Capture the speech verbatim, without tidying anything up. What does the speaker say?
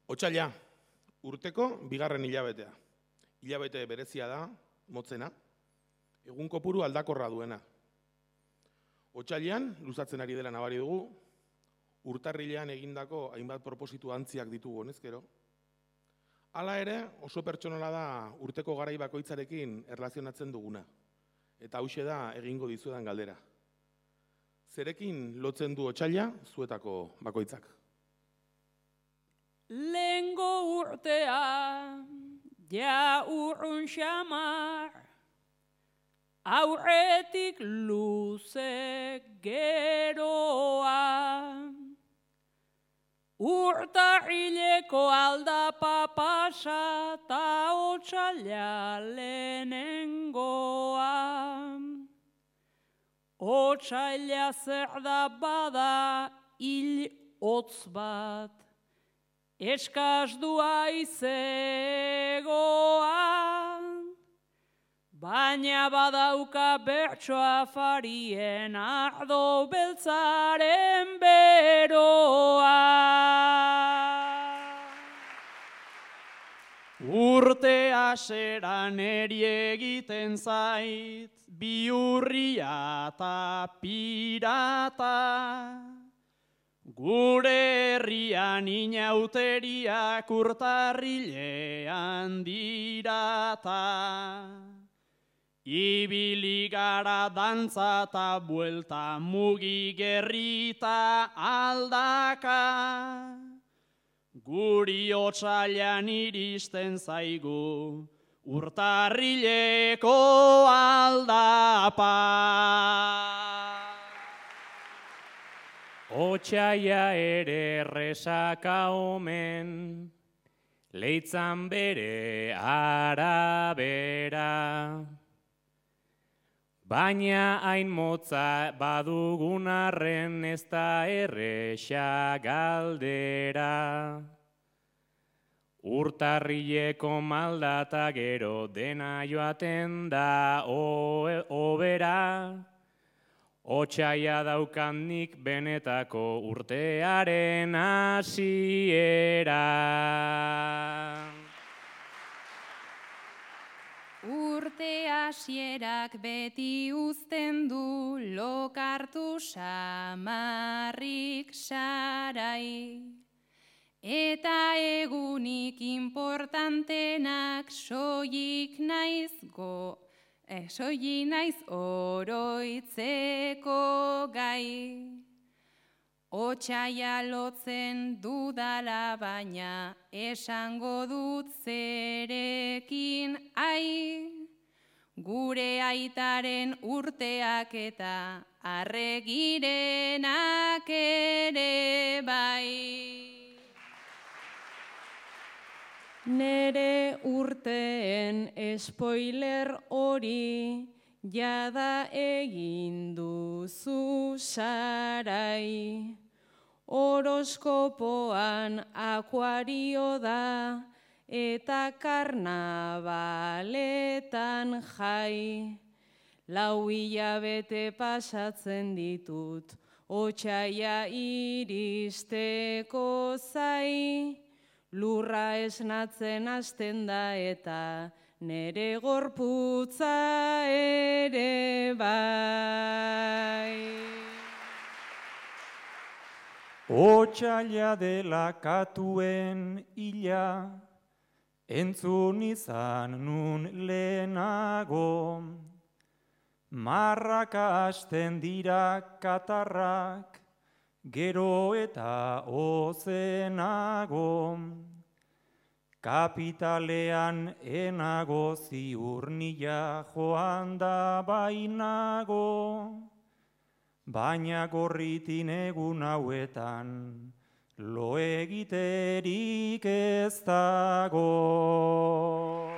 Otsaila, urteko bigarren hilabetea. Hilabete berezia da, motzena, egun kopuru aldakorra duena. Otsailean, luzatzen ari dela nabari dugu, urtarrilean egindako hainbat propositu antziak ditugu honezkero. Hala ere, oso pertsonala da urteko garai bakoitzarekin erlazionatzen duguna. Eta hauxe da egingo dizuedan galdera. Zerekin lotzen du otsaila zuetako bakoitzak? Lehengo urtea, ja urrun xamar, aurretik luze geroa. Urtarrileko aldapa pasa ta otsaila lehenengoa. Otsaila zer da bada hil hotz bat, eskasdua izegoa, baina badauka bertso afarien ardo beltzaren beroa. Urte aseran eri egiten zait, biurria eta pirata. Gure herrian inauteriak urtarrilean dirata. Ibili gara dantza eta buelta mugi gerrita aldaka. Guri otsailean iristen zaigu urtarrileko aldapa. Otsaila ere erresaka omen, leitzan bere arabera. Baina hain motza badugun arren ez da erresa galdera. Urtarrileko maldata gero dena joaten da obera. Otsaila daukanik benetako urtearen hasiera. Urte hasierak beti uzten du lokartu samarrik sarai. Eta egunik importantenak soilik naiz go. Soili naiz oroitzeko gai. Otsaila lotzen dudala baina esango dut zerekin ai. Gure aitaren urteak eta arregirenak ere bai. Nere urteen spoiler hori jada egin duzu sarai. Horoskopoan akuario da eta karnabaletan jai. Lau hilabete pasatzen ditut otsaila iristeko zai. Lurra esnatzen hasten da eta nere gorputza ere bai. Otsaila dela katuen hila, entzun izan nun lehenago. Marraka hasten dira katarrak, gero eta ozenago. Kapitalean enago ziur nila joan da bainago. Baina gorritin egun hauetan lo egiterik ez dago.